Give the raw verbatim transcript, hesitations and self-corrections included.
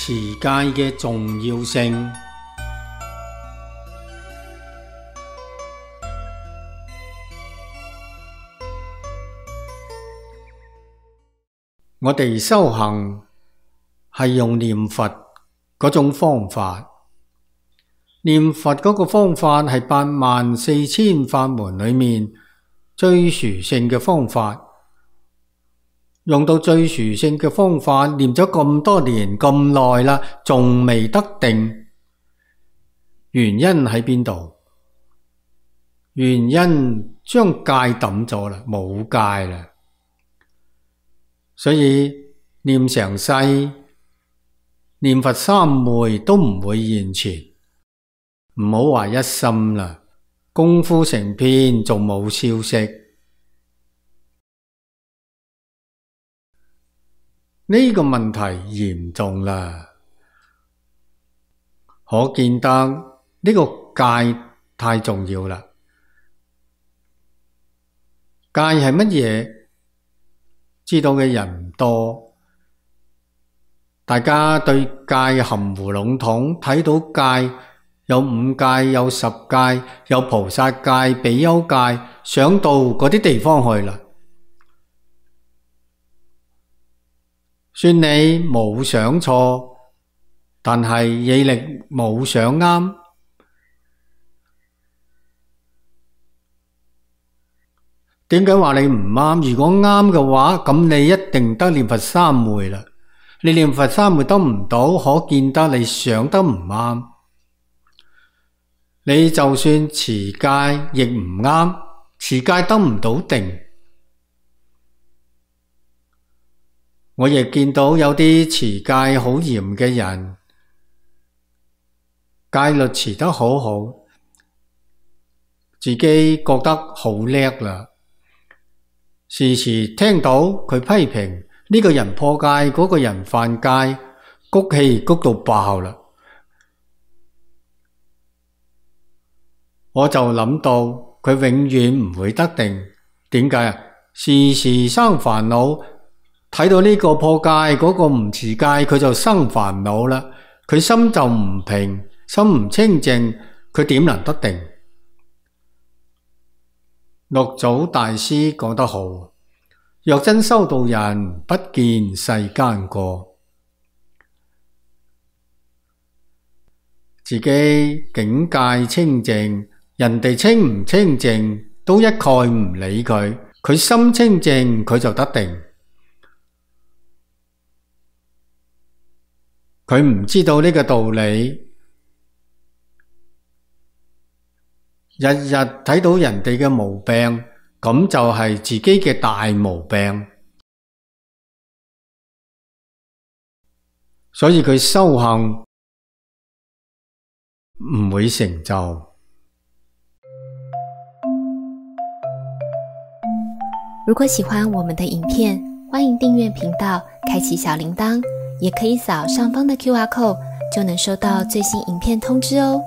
持戒嘅重要性。我哋修行係用念佛嗰種方法，念佛嗰個方法係八萬四千法門裏面最殊勝嘅方法。用到最殊勝嘅方法，念咗咁多年咁耐啦，仲未得定，原因喺邊度？原因將戒抌咗啦，冇戒啦。所以念成世，念佛三昧都唔會現前，唔好話一心啦，功夫成片仲冇消息。呢個問題嚴重啦，可見得呢個戒太重要啦。戒係乜嘢？知道嘅人唔多，大家對戒含糊籠統，睇到戒有五戒、有十戒、有菩薩戒、比丘戒，想到嗰啲地方去啦。算你冇想錯，但係毅力冇想啱。點解話你唔啱？如果啱嘅話，咁你一定得念佛三昧啦。你念佛三昧得唔到，可見得你想得唔啱。你就算持戒亦唔啱，持戒得唔到定。我亦見到有啲持戒好嚴嘅人，戒律持得好好，自己覺得好叻啦。時時聽到佢批評呢個人破戒，嗰個人犯戒，谷氣谷到爆啦。我就諗到佢永遠唔會得定。點解啊？時時生煩惱。睇到呢個破戒，嗰個唔持戒，佢就生煩惱啦。佢心就唔平，心唔清淨，佢點能得定？六祖大師講得好，若真修道人，不見世間過。自己境界清淨，人哋清唔清淨都一概唔理佢，佢心清淨，佢就得定。佢唔知道呢個道理，日日睇到人哋嘅毛病，咁就係自己嘅大毛病。所以佢修行唔會成就。如果喜歡我們的影片，歡迎訂閱頻道，開啟小鈴鐺，也可以掃上方的 Q R code，就能收到最新影片通知哦。